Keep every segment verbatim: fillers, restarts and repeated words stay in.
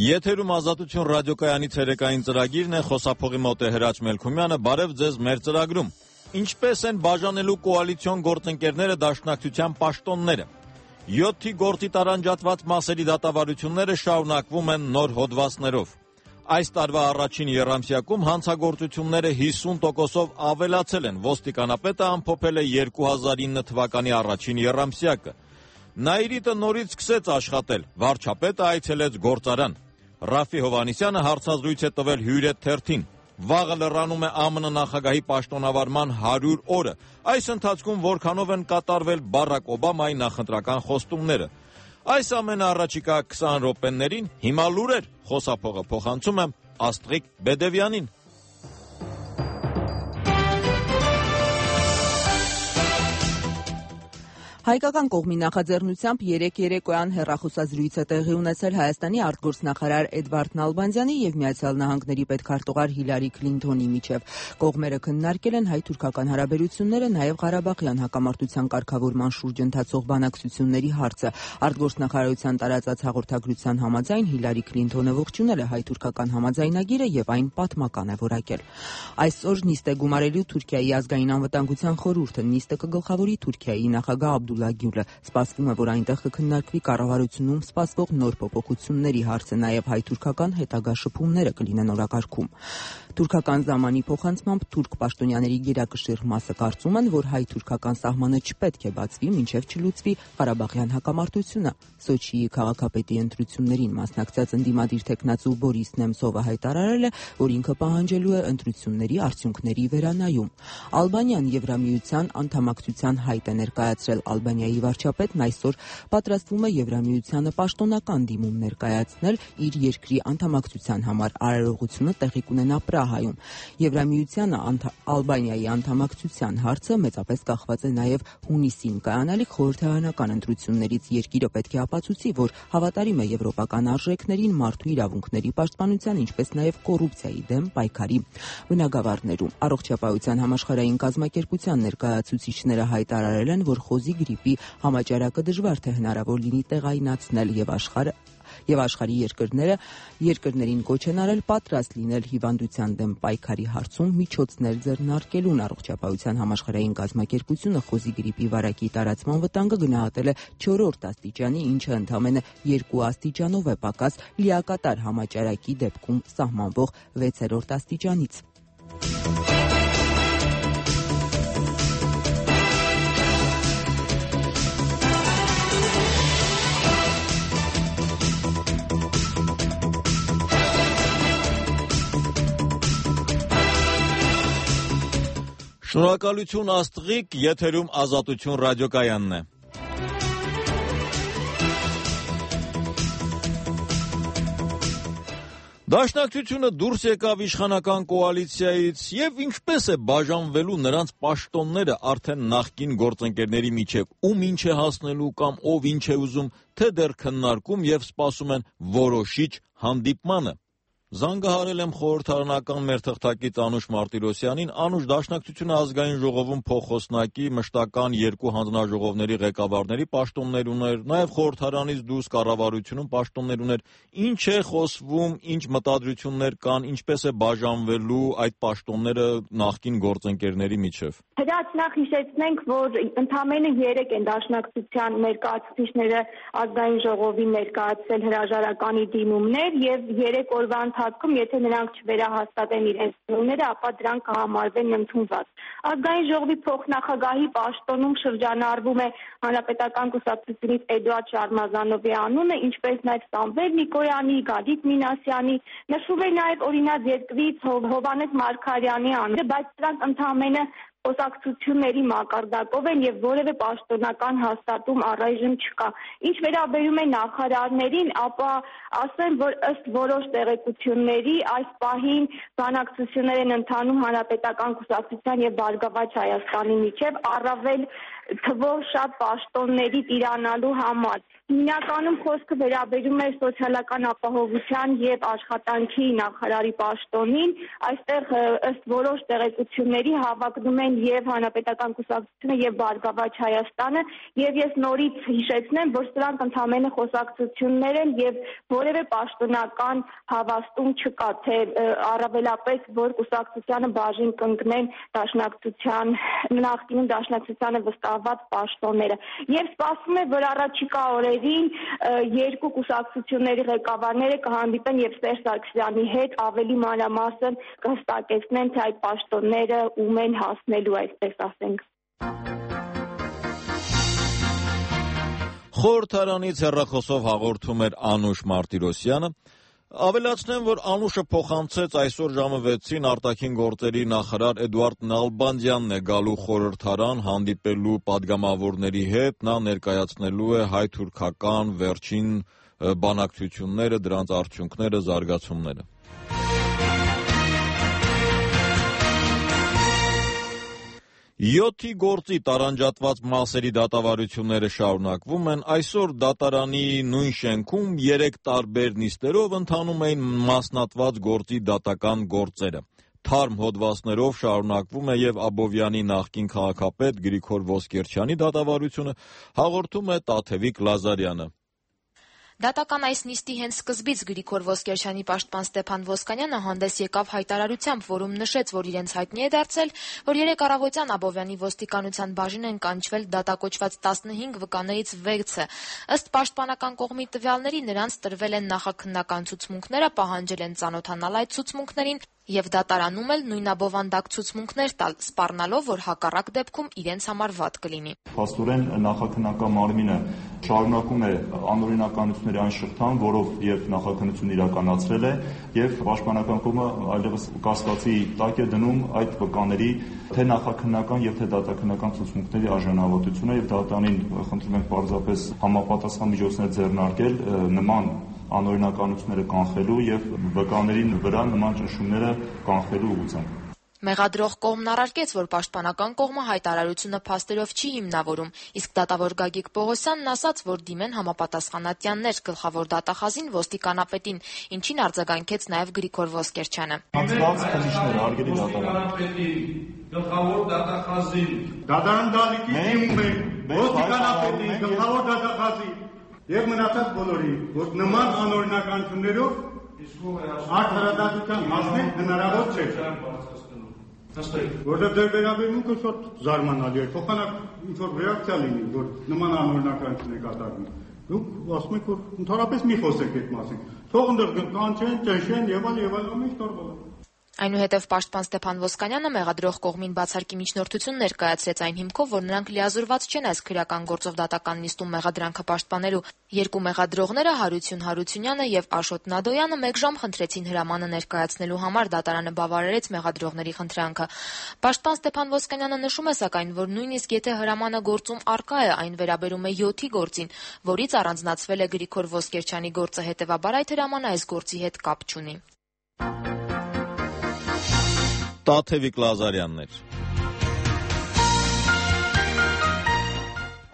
Եթերում Ազատություն ռադիոկայանի ցերեկային ծրագիրն է, խոսափողի մոտ է Հրաչ Մելքումյանը, բարև ձեզ մեր ծրագրում։ Ինչպես են բաժանելու կոալիցիոն գործընկերները դաշնակցության պաշտոնները։ յոթի գործի տարանջատված մասերի դատավարությունները շարունակվում են նոր հոդվածներով։ Այս տարվա առաջին եռամսյակում հանցագործությունները հիսուն տոկոսով ավելացել են, ոստիկանապետը ամփոփել է երկու հազար ինը թվականի առաջին եռամսյակը։ Նայիրիտը նորից սկսեց աշխատել, վարչապետը այցելեց գործարան։ Ռաֆի Հովհաննիսյանը հարցազրույց է տվել Հյուրեթ թերթին։ Վաղը լրանում է ԱՄՆ նախագահի պաշտոնավարման հարյուր օրը։ Այս ընթացքում որքանով են կատարվել Բարակ Օբամայի նախընտրական խոստումները։ Այս ամենը առաջիկա քսան րոպեներին հիմա լուրեր, խոսափողը փոխանցում եմ Աստղիկ Բեդևյանին։ Հայկական կողմի նախաձեռնությամբ երեկ երեկոյան հեռախոսազրույց է տեղի ունեցել Հայաստանի արտգործնախարար Էդվարդ Նալբանդյանի եւ Միացյալ Նահանգների պետքարտուղար Հիլարի Քլինթոնի միջև։ Կողմերը քննարկել են հայ-թուրքական հարաբերությունները, նաեւ Ղարաբաղյան հակամարտության կարգավորման շուրջ ընթացող բանակցությունների հարցը։ Արտգործնախարարության տարածած հաղորդագրության համաձայն Հիլարի Քլինթոնը ողջունել է հայ-թուրքական համաձայնագիրը եւ այն պատմական է որակել։ Այսօր նիստ է գումարելու Թուրքիայի ազգային անվտանգության խորհուրդը, նիստը կգլխավորի Թուրքիայի նախագահ Աբդուլլա Գյուլը։ Սպասվում է, որ այնտեղ կքննարկվի կառավարությունում սպասվող նոր փոփոխությունների հարցը, նաև հայ-թուրքական հետագա շփումները կլինեն օրակարգում։ Թուրքական զամանի փոխանցմամբ թուրք պաշտոնյաների գերակշիռ մասը կարծում են, որ հայ-թուրքական սահմանը չպետք է բացվի, մինչև չլուծվի Ղարաբաղյան հակամարտությունը։ Սոչիի քաղաքապետի ընտրություններին մասնակցած ընդդիմադիր թեկնածու Բորիս Նեմցովը հայտարարել է, որ ինքը պահանջելու է ընտրությունների արդյունքների վերանայում։ Ալբանիան Եվրամիության անդամակցության հայտ է ներկայացրել։ Ալբանիայի վարչապետն այսօր պատրաստվում է Եվրամիությանը պաշտոնական դիմում ներկայացնել իր երկրի անդամակցության համար։ Արարողությունը տեղի կունենա Պրահայում։ Եվրամիությանը Ալբանիայի անդամակցության հարցը մեծապես կախված է նաև հունիսին կայանալիք խորհրդարանական ընտրություններից։ Երկիրը պետք է ապացուցի, որ հավատարիմ է եվրոպական արժեքներին, մարդու իրավունքների պաշտպանության, ինչպես նաև կոռուպցիայի դեմ պայքարի բնագավառներում։ Առողջապահության համաշխարհային կազմակերպության ներկայացուցիչները հայտարարել են, որ խոզի գրիպի համաճարակը դժվար թե հնարավոր լինի տեղայնացնել եւ աշխարհը եւ աշխարհի երկրները երկրներին կոչ են արել պատրաստ լինել հիվանդության դեմ պայքարի հարցում միջոցներ ձեռնարկելուն։ Առողջապահության համաշխարհային կազմակերպությունը խոզի գրիպի վարակի տարածման վտանգը գնահատել է չորրորդ աստիճանի, ինչը ընդամենը երկու աստիճանով է պակաս լիակատար համաճարակի դեպքում սահմանվող վեցերորդ աստիճանից։ Շնորհակալություն Աստղիկ, եթերում Ազատություն ռադիոկայանն է։ Դաշնակցությունը դուրս եկավ իշխանական կոալիցիայից եւ ինչպես է բաժանվելու նրանց պաշտոնները արդեն նախկին գործընկերների միջև, ում ինչ է հասնելու կամ ով ինչ է ուզում, թե դեռ քննարկում եւ սպասում են որոշիչ հանդիպմանը։ Զանգահարել եմ խորհրդարանական մեր թղթակից Անուշ Մարտիրոսյանին, Անուշ, Դաշնակցությունը ազգային ժողովում փոխոսնակի մշտական երկու հանձնաժողովների ղեկավարների պաշտոններ ուներ, նաև խորհրդարանից դուրս կառավարությունում պաշտոններ ուներ։ Ինչ է խոսվում, ինչ մտադրություններ կան, ինչպես է բաժանվելու այդ պաշտոնները նախկին գործընկերների միջև։ Հրաչ, նախ հիշեցնենք, որ ընդամենը երեք են Դաշնակցության ներկայացուցիչները ազգային ժողովին ներկայացրել հրաժարականի դիմումներ եւ երեք օրվա ընթացքում, եթե նրանք չվերահաստատեն իրենց դիմումները, ապա դրանք կհամարվեն ընդունված։ Ազգային ժողովի փոխնախագահի պաշտոնում շրջանառվում է Հանրապետական կուսակցությունից Էդուարդ Շարմազանովի անունը, ինչպես նաև Սամվել Նիկոյանի, Գագիկ Մինասյանի, նշվում է նաև օրինաց երկրից Հովհաննես Մարգարյանի անունը, բայց դրանք ընդամենը խոսակցությունների մակարդակով են եւ որևէ պաշտոնական հաստատում առայժմ չկա։ Ինչ վերաբերում է նախարարներին, ապա ասեմ, որ ըստ որոշ տեղեկությունների այս պահին բանակցություններ են ընթանում Հանրապետական կուսակցության եւ Բարգավաճ Հայաստանի միջև, առավել թվով շատ պաշտոնների տիրանալու համար։ Հիմնականում խոսքը վերաբերում է սոցիալական ապահովության եւ աշխատանքի նախարարի պաշտոնին, այստեղ ըստ որոշ տեղեկությունների հավակնում են եւ Հանրապետական կուսակցությունը եւ Բարգավաճ Հայաստանը, եւ ես նորից հիշեցնեմ, որ սրանք ընդհանրապես խոսակցություններ են եւ որևէ պաշտոնական հավաստում չկա, թե առավելապես որ կուսակցությանը բաժին կընկնեն դաշնակցության նախկինում դաշնակցությանը վստահված պաշտոնները։ Եվ սպասվում է, որ առաջիկա օրերին երկու կուսակցությունների ղեկավարները կհանդիպեն եւ Սերժ Սարգսյանի հետ ավելի մանրամասն կհստակեցնեն, թե այդ պաշտոնները ում են հասնելու, այսպես ասենք։ Խորհրդարանից հեռախոսով հաղորդում էր Անուշ Մարտիրոսյանը։ Ավելացնեմ, որ Անուշը փոխանցեց այսօր ժամը վեցին արտաքին գործերի նախարար Էդուարդ Նալբանդյանն է գալու խորհրդարան հանդիպելու պատգամավորների հետ, նա ներկայացնելու է հայ-թուրքական վերջին բանակցությունները, դրանց արդյունքները, զարգացումները։ Յոթի գործի տարանջատված մասերի դատավարությունները շարունակվում են։ Այսօր դատարանի նույն շենքում երեք տարբեր նիստերով ընթանում էին մասնատված գործի դատական գործերը։ Թարմ հոդվածներով շարունակվում է եւ Աբովյանի նախկին քաղաքապետ Գրիգոր Ոսկերչյանի դատավարությունը, հաղորդում է Տաթևիկ Լազարյանը։ Դատական այս նիստի հենց սկզբից Գրիգոր Ոսկերչյանի պաշտպան Ստեփան Ոսկանյանը հանդես եկավ հայտարարությամբ, որում նշեց, որ իրենց հայտնի է դարձել, որ երեկ առավոտյան Աբովյանի ոստիկանության բաժին են կանչվել դատակոչված տասնհինգ վկաներից վեցը։ Ըստ պաշտպանական կողմի տվյալների նրանց տրվել են նախաքննական ցուցմունքները, պահանջել են ծանոթանալ այդ ցուցմունքներին եւ դատարանում էլ նույնաբովանդակ ցուցմունքներ տալ, սպառնալով, որ հակառակ դեպքում իրենց համար վատ կլինի։ Փաստորեն նախաքննական մարմինը շարունակում է անօրինականությունների այն շղթան, որով եւ նախաքննություն իրականացրել է, եւ պաշտպանական կողմը այլևս կասկածի տակ է դնում այդ վկաների թե նախաքննական եւ թե դատաքննական ցուցմունքների արժանավորությունը եւ դատարանին խնդրում ենք պարզապես համապատասխան միջոցներ ձեռնարկել նման անօրինականությունները կանխելու եւ վկաների վրա նման ճնշումները կանխելու ուղղությամբ։ Մեղադրող կողմն առարկեց, որ պաշտպանական կողմը հայտարարությունը փաստերով չի հիմնավորում, իսկ դատավոր Գագիկ Պողոսյանն ասաց, որ դիմեն համապատասխանատյաններ գլխավոր դատախազին ոստիկանապետին, ինչին արձագանքեց նաեւ Գրիգոր Ոսկերչյանը։ Անցած քննիչները արգելի դատարանապետի գլխավոր դատախազին դատարան դալիկի դիմում է ոստիկանապետի գլխավոր դատախազին եւ մնացած բոլորի, որ նման անօրինականություններով արդարադատության հասնել հնարավոր չէ։ Որտեղ դեր վերաբերմունքը շատ զարմանալի է, փոխանակ ինչ-որ ռեակցիա լինի, որ նման անօրինականություն է կատարվում։ Դուք ասում եք, որ ընդհանրապես մի խոսեք այդ մասին։ Թող ընդդեմ կանչեն, ճնշեն եւ այլ եւ այլ ամեն ինչ տարբեր։ Այնուհետև պաշտպան Ստեփան Ոսկանյանը մեղադրող կողմին բացարկի միջնորդություն ներկայացրեց այն հիմքով, որ նրանք լիազորված չեն այս քրեական գործով դատական նիստում մեղադրանքը պաշտպանելու։ Երկու մեղադրողները Հարություն Հարությունյանը եւ Աշոտ Նադոյանը մեկ ժամ խնդրեցին հրամանը ներկայացնելու համար, դատարանը բավարարեց մեղադրողների խնդրանքը։ Պաշտպան Ստեփան Ոսկանյանը նշում է սակայն, որ նույնիսկ եթե հրամանը գործում առկա է, այն վերաբերում է յոթի գործին, որից առանձնացվել է Գրիգոր Ոսկերչյանի գործը, հետեւաբար այդ հրամանը այս գործի հետ կապ չունի։ Տաթևիկ Լազարյանն էր։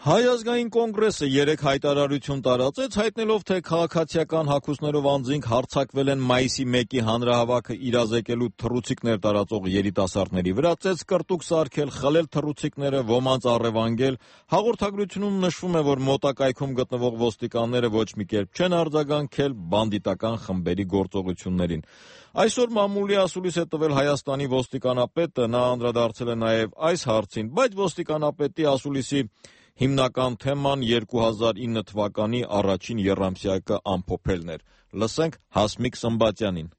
Հայ ազգային կոնգրեսը երեք հայտարարություն տարածեց, հայտնելով, թե քաղաքացիական հագուստներով անձինք հարձակվել են մայիսի մեկի հանրահավաքը իրազեկելու թռուցիկներ տարածող երիտասարդների վրա, ծեծ կրտուկ սարքել, խլել թռուցիկները, ոմանց առևանգել։ Հաղորդագրությունում նշվում է, որ մոտակայքում գտնվող ոստիկանները ոչ մի կերպ չեն արձագանքել բանդիտական խմբերի գործողություններին։ Այսօր մամուլի ասուլիս է տվել Հայաստանի ոստիկանապետը, նա անդրադարձել է նաև այս հարցին, բայց ոստիկանապետի ասուլիսի հիմնական թեման երկու հազար ինը թվականի առաջին եռամսյակը ամփոփելն էր։ Լսենք Հասմիկ Սմբատյանին։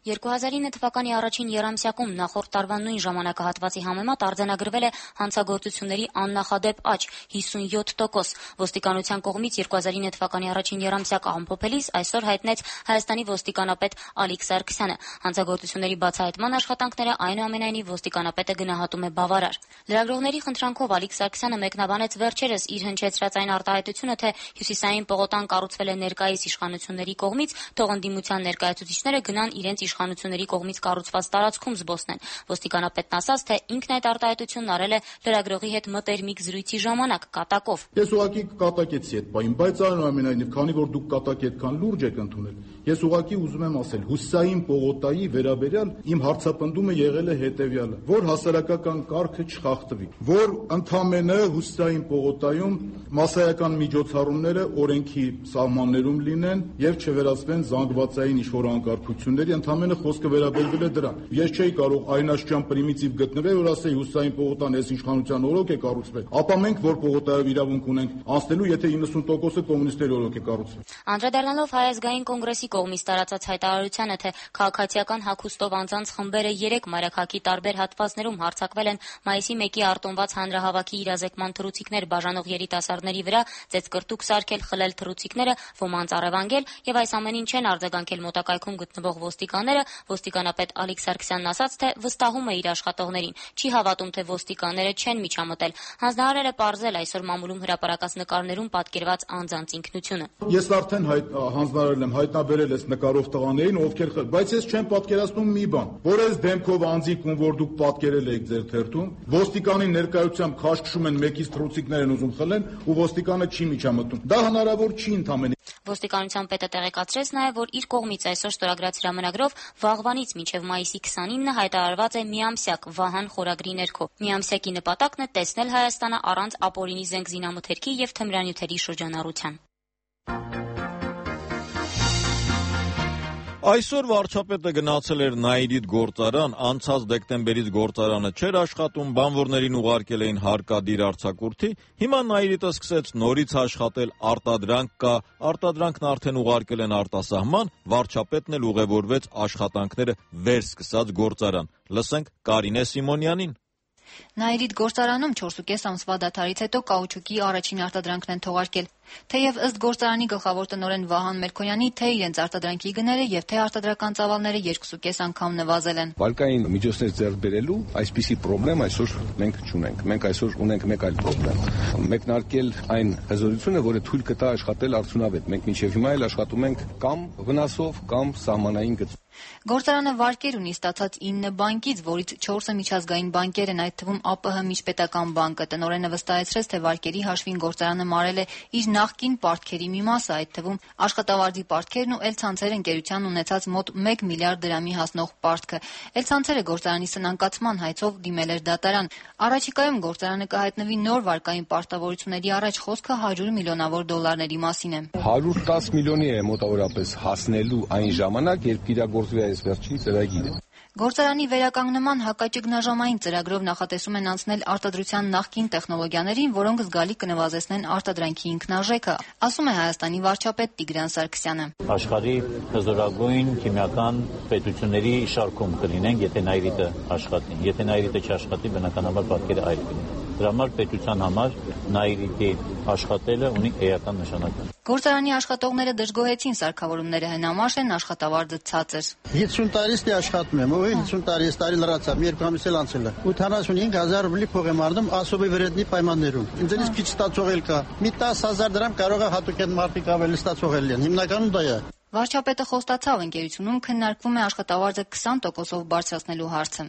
երկու հազար ինը թվականի առաջին եռամսյակում նախորդ տարվա նույն ժամանակահատվածի համեմատ արձանագրվել է հանցագործությունների աննախադեպ աճ հիսունյոթ տոկոս։ Ոստիկանության կողմից երկու հազար ինը թվականի առաջին եռամսյակը ամփոփելիս այսօր հայտնեց Հայաստանի ոստիկանապետ Ալիկ Սարգսյանը։ Հանցագործությունների բացահայտման աշխատանքները այնուամենայնիվ ոստիկանապետը գնահատում է բավարար։ Լրագրողների խնդրանքով Ալիկ Սարգսյանը մեկնաբանեց վերջերս իր հնչեցրած այն արտահայտությունը, թե Հյուսիսային պողոտան կառուցվել է ներկայիս իշխանությունների կողմից, թող ընդդիմության ներկայացուցիչները գնան իրենց իրենց իշխանությունների կողմից կառուցված տարածքում զբոսնեն։ Ոստիկանապետն ասաց, թե ինքն այդ արտահայտությունն արել է լրագրողի հետ մտերմիկ զրույցի ժամանակ կատակով։ Ես ուղղակի կատակեցի այդ բանին, բայց այնուամենայնիվ, քանի որ դուք կատակի այդքան լուրջ եք ընդունել, ես ուղղակի ուզում եմ ասել, Հուսային պողոտայի վերաբերյալ իմ հարցապնդումը եղել է հետևյալը, որ հասարակական կարգը չխախտվի, որ ընդամենը Հուսային պողոտայում մասսայական միջոցառումները օրենքի սահմաններում լինեն եւ չվերածվեն զանգվածային ինչ-որ անկարգությունների, ընդամենը խոսքը վերաբերվել է դրան։ Ես չէի կարող այն աշճան պրիմիտիվ գտնվել, որ ասեի Հուսային պողոտան այս իշխանության օրոք է կառուցվել, ապա մենք որ պողոտայով իրավունք ունենք անցնելու, եթե իննսուն տոկոսը կոմունիստների օրոք է կառուցվել։ Անդրադառնալով Հայ ազգային կոնգրեսի կողմից տարածած հայտարարությանը, թե քաղաքացիական հագուստով անձանց խմբերը երեք մայրաքաղաքի տարբեր հատվածներում հարձակվել են մայիսի մեկի արտոնված հանրահավաքի իրազեկման թռուցիկներ բաժանող երիտասարդների վրա, ծեծկրտուկ սարքել, խլել թռուցիկները, ոմանց առևանգել եւ այս ամենին չեն արձագանքել մոտակայքում գտնվող ոստիկանները, ոստիկանապետ Ալիկ Սարգսյանն ասաց, թե վստահում է իր աշխատողներին, չի հավատում, թե ոստիկանները չեն միջամտել։ Հանձնարարել է պարզել այսօր մամուլում հրապարակած նկարներում պատկերված անձանց ինքնությունը։ Ես արդեն հանձնարարել եմ, հայտնաբերել ես նկարով տղաներին, ովքեր խլ, բայց ես չեմ պատկերացնում մի բան, որ այս դեմքով անձիկ ում որ դուք պատկերել եք ձեր թերթում, ոստիկանի ներկայությամբ քաշքշում են մեկից թռուցիկներ են ուզում խլեն ու ոստիկանը չի միջամտում։ Դա հնարավոր չի ընդամենը։ Ոստիկանության պետը տեղեկացրեց նաև, որ իր կողմից այսօր ստորագրած հրամանագրով վաղվանից մինչև մայիսի քսանինը հայտարարված է միամսյակ Վահան խորագրի ներքո։ Միամսյակի նպատակն է տեսնել Հայաստանը առանց ապօրինի զենք զինամթերքի եւ թմրանյութերի շրջանառության։ Այսօր վարչապետը գնացել էր Նաիրիդ գործարան, անցած դեկտեմբերից գործարանը չէր աշխատում, բանվորներին ուղարկել էին հարկադիր արձակուրդի, հիմա Նաիրիդը սկսեց նորից աշխատել, արտադրանք կա, արտադրանքն արդեն ուղարկել են արտասահման, վարչապետն էլ ուղևորվեց աշխատանքները վերսկսած գործարան։ Լսենք Կարինե Սիմոնյանին։ Նաիրիդ գործարանում չորսուկես ամսվա դադարից հետո կաուչուկի առաջին արտադրանքն են թողարկել։ Թեև ըստ գործարանի գլխավոր տնօրեն Վահան Մերքոնյանի, թե իրենց արտադրանքի գները եւ թե արտադրական ծավալները երկուսուկես անգամ նվազել են։ Վարկային միջոցներ ձեռք բերելու այսպիսի խնդրեմ այսօր մենք չունենք։ Մենք այսօր ունենք մեկ այլ խնդրեմ։ Մեկնարկել այն հզորությունը, որը թույլ կտա աշխատել արդյունավետ։ Մենք մինչև հիմա էլ աշխատում ենք կամ վնասով, կամ սահմանային գծով։ Գործարանը վարկեր ունի ստացած ինը բանկից, որից չորսը միջազգային բանկեր են, այդ թվում ԱՊՀ միջպետական բանկը։ Տնօրենը վստահեցրեց, թե վարկերի հաշվին գործարանը մարել է իր նախկին պարտքերի մի մասը, այդ թվում աշխատավարձի պարտքերն ու Էլ-ցանցեր ընկերության ունեցած մոտ մեկ միլիարդ դրամի հասնող պարտքը։ Էլ-ցանցերը գործարանի սնանկացման հայցով դիմել էր դատարան։ Առաջիկայում գործարանը կհայտնվի նոր վարկային պարտավորությունների առաջ, խոսքը հարյուր միլիոնավոր դոլարների մասին է։ հարյուր տասը միլիոնի է մոտավորապես հասնելու այն ժամանակ, երբ իրագործվի այս վերջին ծրագիրը։ Գործարանի վերականգնման հակաճգնաժամային ծրագրով նախատեսում են անցնել արտադրության նախկին տեխնոլոգիաներին, որոնք զգալի կնվազեցնեն արտադրանքի ինքնարժեքը, ասում է Հայաստանի վարչապետ Տիգրան Սարգսյանը։ Աշխարհի հզորագույն քիմիական պետությունների շարքում կլինենք, եթե Նաիրիտը աշխատի։ Եթե Նաիրիտը չաշխատի, բնականաբար պատկերը այլ կլինի։ Դրա համար պետության համար Նաիրիտի աշխատելը ունի էական նշանակություն։ Գործարանի աշխատողները դժգոհեցին սարքավորումները հնամաշ են, աշխատավարձը ցածր։ հիսուն տարից դե աշխատում եմ, ու հիսուն տարի էս տարի լրացա, երկու ամիս էլ անցել է։ ութանասունհինգ հազար ռուբլի փող եմ առնում ասոբի վրեդնի պայմաններում։ Ինձնից քիչ ստացող էլ կա։ Մի տասը հազար դրամ կարող է հատուկ են մարդիկ ավելի ստացող էլ են։ Հիմնականում դա է։ Վարչապետը խոստացավ, ընկերությունում քննարկվում է աշխատավարձը քսան տոկոսով բարձրացնելու հարցը։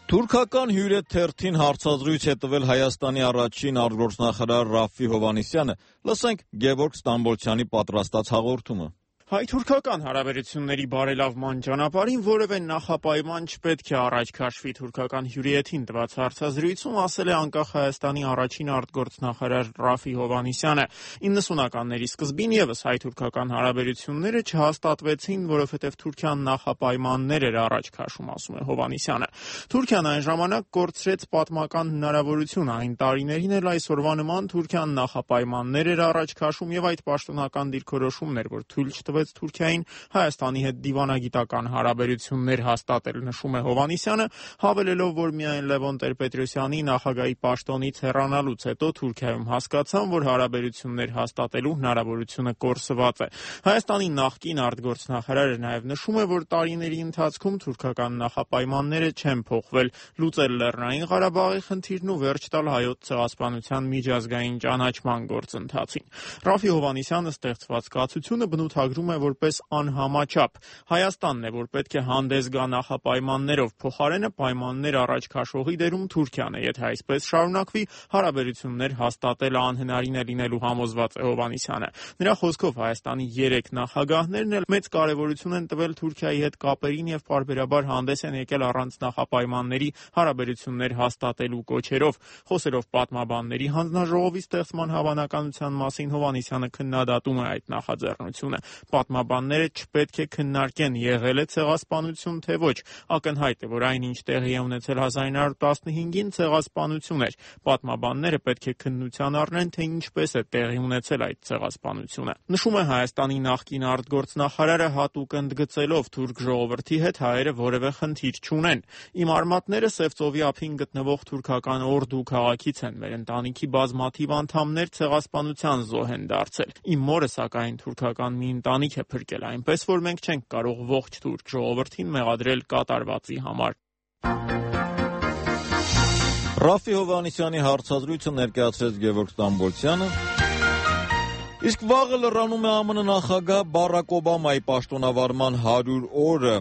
Թուրքական հյուրե թերթին հարցազրույց է տվել Հայաստանի առաջին արտգործնախարար Ռաֆֆի Հովհաննիսյանը։ Լսենք Գևորգ Ստամբոլցյանի պատրաստած հաղորդումը։ Հայ-թուրքական հարաբերությունների բարելավման ճանապարհին որևէ նախապայման չպետք է առաջ քաշվի թուրքական հյուրիեթին տված հարցազրույցում ասել է անկախ Հայաստանի առաջին արտգործնախարար Ռաֆֆի Հովհաննիսյանը։ իննսունականների սկզբին եւս հայ-թուրքական հարաբերությունները չհաստատվեցին, որովհետեւ Թուրքիան նախապայմաններ էր առաջ քաշում, ասում է Հովհաննիսյանը։ Թուրքիան այն ժամանակ կորցրեց պատմական հնարավորություն, այն տարիներին էլ այսօրվա նման Թուրքիան նախապայմաններ էր առաջ քաշում եւ այդ պաշտոնական դիրքորոշումն էր, որ թույլ տվեց Թուրքիային Հայաստանի հետ դիվանագիտական հարաբերություններ հաստատել, նշում է Հովհաննիսյանը, հավելելով, որ միայն Լևոն Տեր-Պետրոսյանի նախագահի պաշտոնից հեռանալուց հետո Թուրքիայում հասկացան, որ հարաբերություններ հաստատելու հնարավորությունը կորսված է։ Հայաստանի նախկին արտգործնախարարը նաև նշում է, որ տարիների ընթացքում թուրքական նախապայմանները չեն փոխվել՝ լուծել Լեռնային Ղարաբաղի խնդիրն ու վերջ տալ Հայոց ցեղասպանության միջազգային ճանաչման գործընթացին։ Ռաֆի Հովհաննիսյանը ստեղծված կացությունը բնութագրում է որպես անհամաչափ։ Հայաստանն է, որ պետք է հանդես գա նախապայմաններով, փոխարենը պայմաններ առաջ քաշողի դերում Թուրքիան է։ Եթե այսպես շարունակվի, հարաբերություններ հաստատելը անհնարին է լինելու համոզված է Հովհաննիսյանը։ Նրա խոսքով Հայաստանի երեք նախագահներն էլ մեծ կարևորություն են տվել Թուրքիայի հետ կապերին եւ պարբերաբար հանդես են եկել առանց նախապայմանների հարաբերություններ հաստատելու կոչերով։ Խոսելով պատմաբանների հանձնաժողովի ստեղծման հավանականության մասին, Հովհաննիսյանը քննադատում է այդ նախաձեռնությունը։ Պատմաբանները չպետք է քննարկեն եղել է ցեղասպանություն, թե ոչ։ Ակնհայտ է, որ այնինչ տեղի է ունեցել հազար ինը հարյուր տասնհինգին ցեղասպանություն էր։ Պատմաբանները պետք է քննության առնեն, թե ինչպես է տեղի ունեցել այդ ցեղասպանությունը։ Նշում է Հայաստանի նախկին արտգործնախարարը հատուկ ընդգծելով թուրք ժողովրդի հետ հայերը որևէ խնդիր չունեն։ Իմ արմատները Սևծովի ափին գտնվող թուրքական Օրդու քաղաքից են։ Մեր ընտանիքի բազմաթիվ անդամներ ցեղասպանության զոհ են դարձել։ Իմ մորը սակայն թուրքական մի ընտանիք է փրկել, այնպես որ մենք չենք կարող ողջ թուրք ժողովրդին մեղադրել կատարվածի համար։ Ռաֆի Հովհաննիսյանի հարցազրույցը ներկայացրեց Գևորգ Ստամբոլցյանը։ Իսկ վաղը լրանում է ԱՄՆ նախագահ Բարակ Օբամայի պաշտոնավարման հարյուր օրը։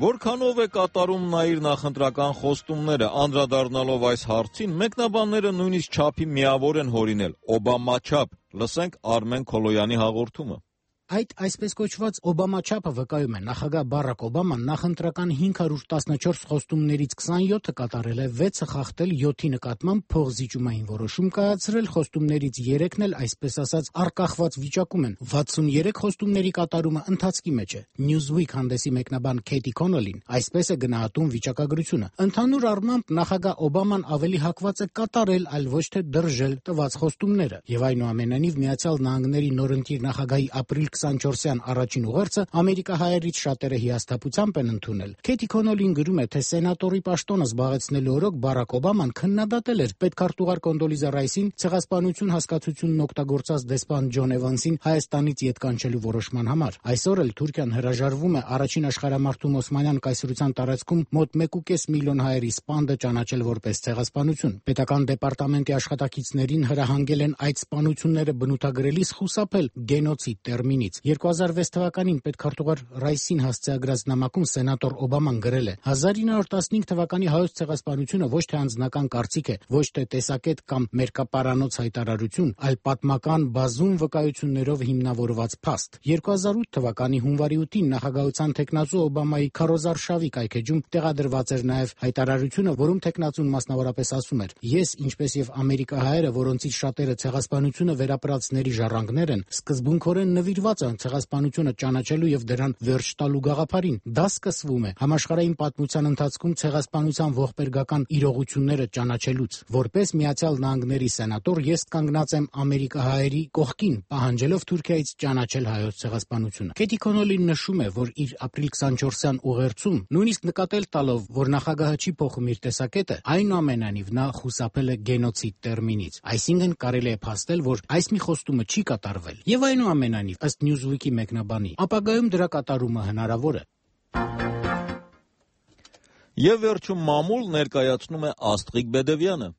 Որքանով է կատարում նա իր նախընտրական խոստումները, անդրադառնալով այս հարցին, մեկնաբանները նույնիսկ չափի միավոր են հորինել՝ Օբամաչափ։ Լսենք Արմեն Քոլոյանի հաղորդումը։ Այդ այսպես կոչված Օբամաչափը վկայում է նախագահ Բարակ Օբաման նախընտրական հինգ հարյուր տասնչորս խոստումներից քսանյոթը կատարել է, վեցը խախտել, յոթի նկատմամբ փողզիջումային որոշում կայացրել, խոստումներից երեքն էլ այսպես ասած արկախված վիճակում են։ վաթսուներեք խոստումների կատարումը ընթացքի մեջ է։ Newsweek հանդեսի մեկնաբան Քեյթի Քոնոլին այսպես է գնահատում վիճակագրությունը։ Ընդհանուր առմամբ նախագահ Օբաման ավելի հակված է կատարել, այլ ոչ թե դրժել տված խոստումները։ Եվ այնուամենայնիվ Միացյալ Նահանգների նորընտիր նախագահի ապրիլ քսանչորսյան առաջին ուղերձը ամերիկահայերից շատերը հիասթափությամբ են ընդունել։ Քեյթի Քոնոլին գրում է, թե սենատորի պաշտոնը զբաղեցնելու օրոք Բարակ Օբաման քննադատել էր պետքարտուղար Կոնդոլիզա Ռայսին ցեղասպանություն հասկացությունն օգտագործած դեսպան Ջոն Էվանսին Հայաստանից ետ կանչելու որոշման համար։ Այսօր էլ Թուրքիան հրաժարվում է առաջին աշխարհամարտում Օսմանյան կայսրության տարածքում մոտ մեկ ու կես միլիոն հայերի սպանդը ճանաչել որպես ցեղասպանություն։ Պետական դեպարտամենտի աշխատակիցներին հրահանգել են այդ սպանությունները բնութագրելիս խուսափել գենոցիդ տերմինից։ երկու հազար վեց թվականին պետքարտուղար Ռայսին հասցեագրած նամակում սենատոր Օբաման գրել է. հազար ինը հարյուր տասնհինգ թվականի հայոց ցեղասպանությունը ոչ թե անձնական կարծիք է, ոչ թե տեսակետ կամ մերկապարանոց հայտարարություն, այլ պատմական բազում վկայություններով հիմնավորված փաստ։ երկու հազար ութ թվականի հունվարի ութին նախագահության թեկնածու Օբամայի քարոզարշավի կայքեջում տեղադրված էր նաև հայտարարությունը, որում թեկնածուն մասնավորապես ասում էր. ես, ինչպես եւ ամերիկահայերը, որոնցից շատերը ցեղասպանությունը վերապրածների ժառանգներ են, սկզբունքորեն նվիրված են ցեղասպանությունը ճանաչելու եւ դրան վերջ տալու գաղափարին։ Դա սկսվում է համաշխարհային պատմության ընթացքում ցեղասպանության ողբերգական իրողությունները ճանաչելուց։ Որպես Միացյալ Նահանգների սենատոր ես կանգնած եմ ամերիկահայերի կողքին, պահանջելով Թուրքիայից ճանաչել հայոց ցեղասպանությունը։ Քեյթի Քոնոլին նշում է, որ իր ապրիլ քսանչորսյան ուղերձում նույնիսկ նկատել տալով, որ նախագահը չի փոխում իր տեսակետը, այնուամենայնիվ նա խուսափել է գենոցիդ տերմինից։ Այսինքն կարելի է փաստել, որ այս մի խոստումը չի կատարվել։ Եվ այնուամենայնիվ, ըստ Newsweek-ի մեկնաբանի, ապագայում դրա կատարումը հնարավոր է։ Եվ վերջում մամուլ ներկայացնում է Աստղիկ Բեդևյանը։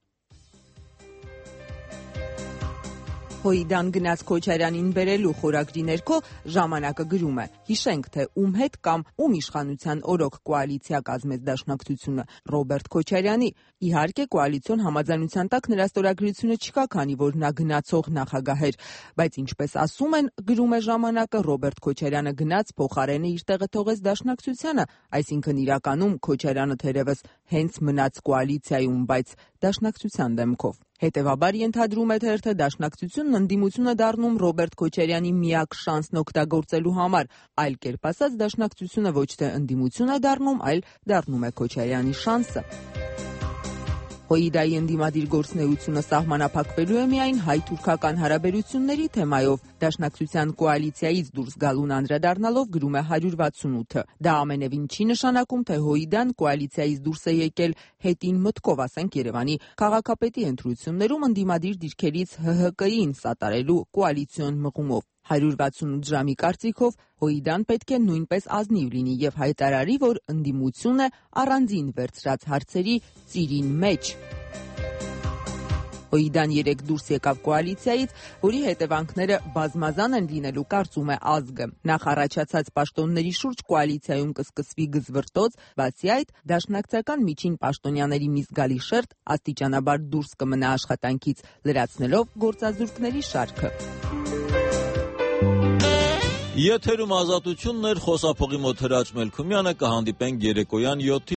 Հոիդան գնաց Քոչարյանին բերելու խորագրի ներքո ժամանակը գրում է. հիշենք, թե ում հետ կամ ում իշխանության օրոք կոալիցիա կազմեց դաշնակցությունը Ռոբերտ Քոչարյանի։ Իհարկե կոալիցիոն համաձայնության տակ նրա ստորագրությունը չկա, քանի որ նա գնացող նախագահ էր, բայց ինչպես ասում են, գրում է ժամանակը, Ռոբերտ Քոչարյանը գնաց, փոխարենը իր տեղը թողեց դաշնակցությանը, այսինքն իրականում Քոչարյանը թերևս հենց մնաց կոալիցիայում, բայց դաշնակցության դեմքով։ Հետևաբար ենթադրում է թերթը դաշնակցությունն ընդդիմություն է դառնում Ռոբերտ Քոչարյանի միակ շանսն օգտագործելու համար, այլ կերպ ասած դաշնակցությունը ոչ թե ընդդիմություն է դառնում, այլ դառնում է Քոչարյանի շանսը։ Հոիդայի ընդդիմադիր գործունեությունը սահմանափակվելու է միայն հայ-թուրքական հարաբերությունների թեմայով, Դաշնակցության կոալիցիայից դուրս գալուն անդրադառնալով գրում է հարյուր վաթսունութը։ Դա ամենևին չի նշանակում, թե Հոիդան կոալիցիայից դուրս է եկել հետին մտքով, ասենք Երևանի քաղաքապետի ընտրություններում ընդդիմադիր դիրքերից Հ Հ Կ-ին սատարելու կոալիցիոն մղումով։ հարյուր վաթսունութ ժամի կարծիքով Հոիդան պետք է նույնպես ազնիվ լինի եւ հայտարարի, որ ընդդիմություն է առանձին վերցրած հարցերի ծիրին մեջ։ Հոիդան երեկ դուրս եկավ կոալիցիայից, որի հետևանքները բազմազան են լինելու, կարծում է ազգը։ Նախ առաջացած պաշտոնների շուրջ կոալիցիայում կսկսվի գզվրտոց, բացի այդ, դաշնակցական միջին պաշտոնյաների մի զգալի շերտ աստիճանաբար դուրս կմնա աշխատանքից, լրացնելով գործազուրկների շարքը։ Եթերում Ազատությունն էր, խոսափողի մոտ Հրաչ Մելքումյանը, կհանդիպենք երեկոյան յոթի